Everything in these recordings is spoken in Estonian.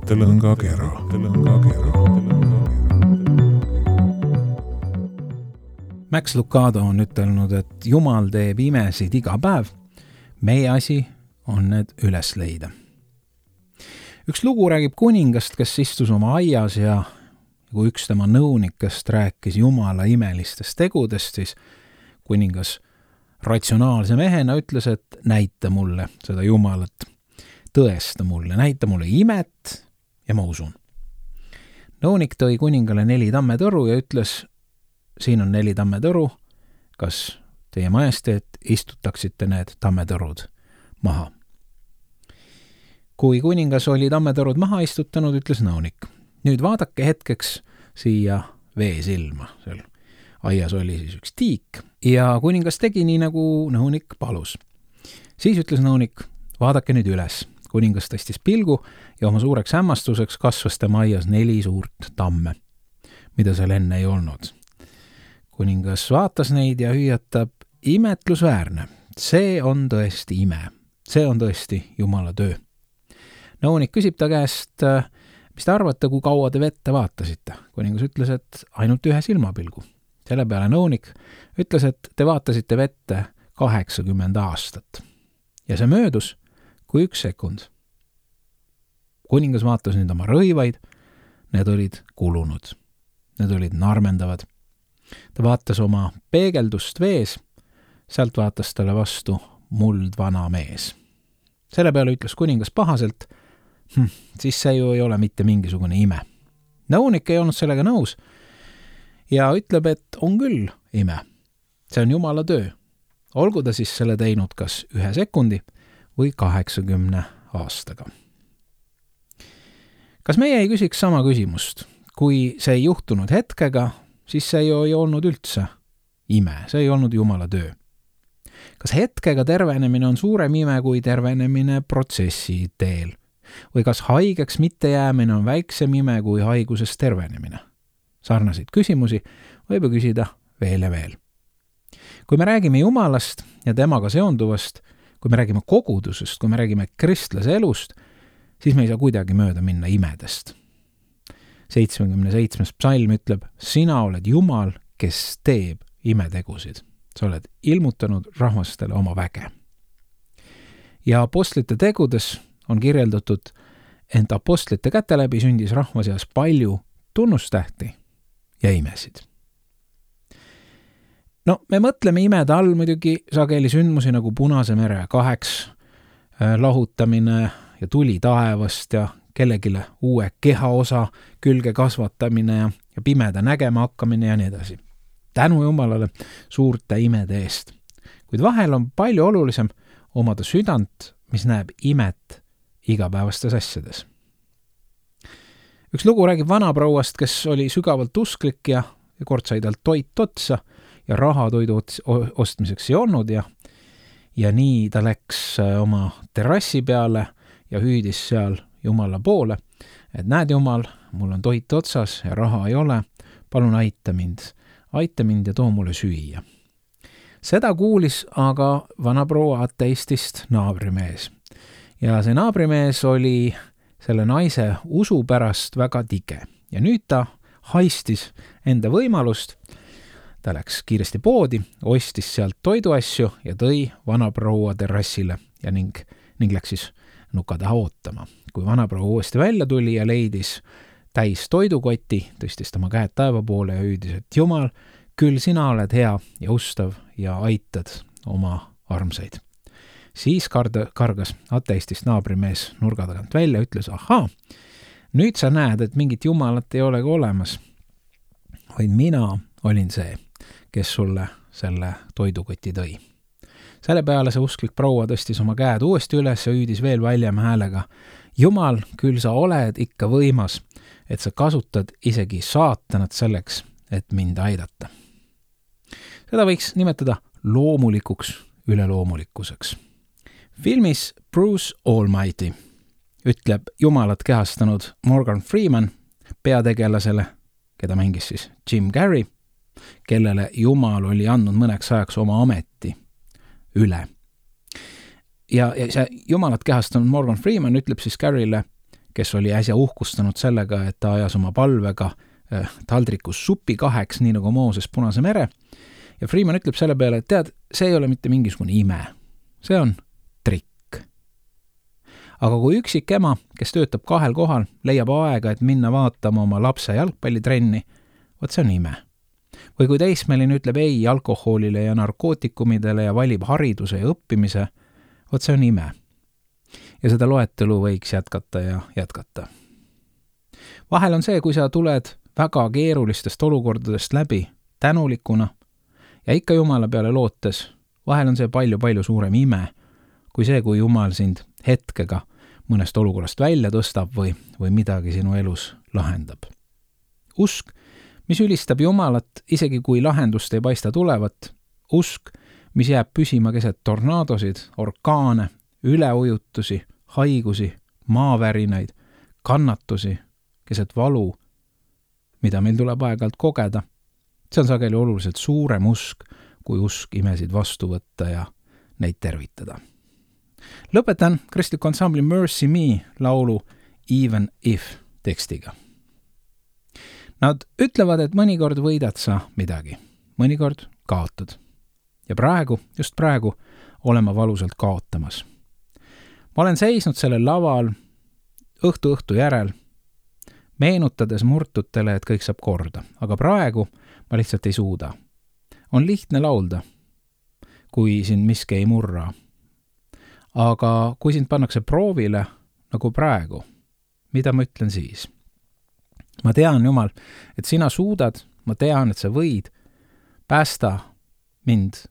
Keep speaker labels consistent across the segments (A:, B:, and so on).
A: mõttelõngakera.
B: Max Lucado on ütelnud, et Jumal teeb imesid iga päev. Meie asi on need üles leida. Üks lugu räägib kuningast, kes istus oma aias ja kui üks tema nõunikest rääkis Jumala imelistest tegudest, siis kuningas ratsionaalse mehena ütles, et näita mulle seda Jumalat, tõesta mulle, näita mulle imet ja ma usun. Nõunik tõi kuningale 4 tammetõru ja ütles, siin on 4 tammetõru, kas teie majesteet istutaksite need tammetõrud maha. Kui kuningas oli tammetõrud maha istutanud, ütles nõunik, nüüd vaadake hetkeks siia veesilma. Seal aias oli siis üks tiik ja kuningas tegi nii, nagu nõunik palus. Siis ütles nõunik, vaadake nüüd üles. Kuningas tõstis pilgu ja oma suureks hämmastuseks kasvas tema aias 4 suurt tamme, mida seal enne ei olnud. Kuningas vaatas neid ja hüüatab, imetlusväärne. See on tõesti ime. See on tõesti Jumala töö. Nõunik küsib ta käest, mis te arvate, kui kaua te vette vaatasite? Kuningas ütles, et ainult 1 silmapilgu. Selle peale nõunik ütles, et te vaatasite vette 80 aastat. Ja see möödus kui 1 sekund. Kuningas vaatas nüüd oma rõivaid, need olid kulunud. Need olid narmendavad. Ta vaatas oma peegeldust vees, sealt vaatas talle vastu muld vana mees. Selle peale ütles kuningas pahaselt, siis see ju ei ole mitte mingisugune ime. Nõunik ei olnud sellega nõus ja ütleb, et on küll ime. See on Jumala töö. Olgu ta siis selle teinud kas 1 sekundi või 80 aastaga. Kas meie ei küsiks sama küsimust? Kui see ei juhtunud hetkega, siis see ju ei olnud üldse ime. See ei olnud Jumala töö. Kas hetkega tervenemine on suurem ime kui tervenemine protsessi teel? Või kas haigeks mitte jäämine on väiksem ime kui haigusest tervenemine? Sarnaseid küsimusi võib ju küsida veel ja veel. Kui me räägime Jumalast ja temaga seonduvast, kui me räägime kogudusest, kui me räägime kristlase elust, siis me ei saa kuidagi mööda minna imedest. 77. psalm ütleb, sina oled Jumal, kes teeb imetegusid. Sa oled ilmutanud rahvastele oma väge. Ja apostlite tegudes on kirjeldatud, ent apostlite käte läbi sündis rahva seas palju tunnustähti ja imesid. No, me mõtleme imede all muidugi sageli sündmusi nagu Punase mere 2 lahutamine ja tuli taevast ja kellegile uue kehaosa külge kasvatamine ja pimeda nägema hakkamine ja nii edasi. Tänu Jumalale suurte imede eest. Kuid vahel on palju olulisem omada südant, mis näeb imet igapäevastes asjades. Üks lugu räägib vanaprouast, kes oli sügavalt usklik ja kord sai talt toit otsa ja raha toidu ostmiseks ei olnud ja nii ta läks oma terrassi peale ja hüüdis seal Jumala poole, et näed Jumal, mul on toit otsas ja raha ei ole, palun aita mind ja too mulle süüa. Seda kuulis aga vanaproua ateistist naabrimees. Ja see naabrimees oli selle naise usu pärast väga tige. Ja nüüd ta haistis enda võimalust. Ta läks kiiresti poodi, ostis sealt toiduasju ja tõi vanaproua terrassile ja ning läks siis nuka taha ootama. Kui vanaproua uuesti välja tuli ja leidis täis toidukoti, tõstis tema käed taeva poole ja hüüdis, et Jumal, küll sina oled hea ja ustav ja aitad oma armsaid. Siis kargas ateistist naabrimees nurga tagant välja, ütles, ahaa, nüüd sa näed, et mingit Jumalat ei olegi olemas, vaid mina olin see, kes sulle selle toidukoti tõi. Selle peale see usklik proua tõstis oma käed uuesti üles ja hüüdis veel väljama häälega, Jumal, küll sa oled ikka võimas, et sa kasutad isegi saatanat selleks, et mind aidata. Seda võiks nimetada loomulikuks üleloomulikkuseks. Filmis Bruce Almighty ütleb Jumalat kehastanud Morgan Freeman peategelasele, keda mängis siis Jim Carrey, kellele Jumal oli andnud mõneks ajaks oma ameti üle. Ja see Jumalat kehastanud Morgan Freeman ütleb siis Carrey'le, kes oli äsja uhkustanud sellega, et ta ajas oma palvega taldrikus supi 2, nii nagu Mooses Punase mere. Ja Freeman ütleb selle peale, et tead, see ei ole mitte mingisugune ime. See on trikk. Aga kui üksik ema, kes töötab 2 kohal, leiab aega, et minna vaatama oma lapse jalgpallitrenni, võt see on ime. Või kui teismeline ütleb ei alkoholile ja narkootikumidele ja valib hariduse ja õppimise, võt see on ime. Ja seda loetelu võiks jätkata ja jätkata. Vahel on see, kui sa tuled väga keerulistest olukordadest läbi tänulikuna ja ikka Jumala peale lootes, vahel on see palju suurem ime, kui see, kui Jumal sind hetkega mõnest olukorrast välja tõstab või midagi sinu elus lahendab. Usk, mis ülistab Jumalat, isegi kui lahendust ei paista tulevat, usk, mis jääb püsima keset tornaadosid, orkaane, üleujutusi, haigusi, maavärinaid, kannatusi, keset valu, mida meil tuleb aeg-ajalt kogeda. See on sageli oluliselt suurem usk, kui usk imesid vastu võtta ja neid tervitada. Lõpetan kristliku ansambli Mercy Me laulu Even If tekstiga. Nad ütlevad, et mõnikord võidad sa midagi, mõnikord kaotad. Ja praegu, just praegu, olen ma valusalt kaotamas. Ma olen seisnud sellel laval õhtu järel, meenutades murtutele, et kõik saab korda. Aga praegu ma lihtsalt ei suuda. On lihtne laulda, kui sind miski ei murra. Aga kui sind pannakse proovile, nagu praegu, mida ma ütlen siis? Ma tean, Jumal, et sina suudad, ma tean, et sa võid, päästa mind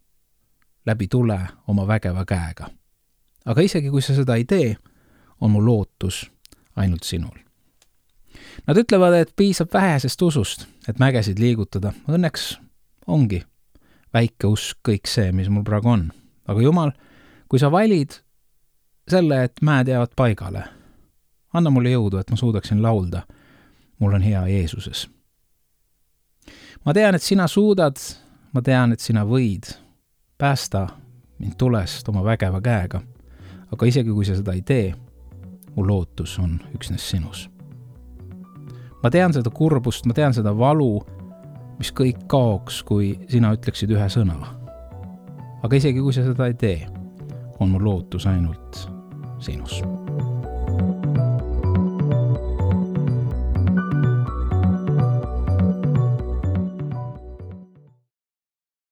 B: läbi tule oma vägeva käega. Aga isegi kui sa seda ei tee, on mu lootus ainult sinul. Nad ütlevad, et piisab vähesest usust, et mägesid liigutada. Õnneks ongi väike usk kõik see, mis mul praegu on. Aga Jumal, kui sa valid selle, et mäed jäävad paigale, anna mulle jõudu, et ma suudaksin laulda. Mul on hea Jeesuses. Ma tean, et sina suudad, ma tean, et sina võid. Päästa mind tulest oma vägeva käega. Aga isegi kui sa seda ei tee, mu lootus on üksnes sinus. Ma tean seda kurbust, ma tean seda valu, mis kõik kaoks, kui sina ütleksid ühe sõna. Aga isegi kui sa seda ei tee, on mu lootus ainult sinus.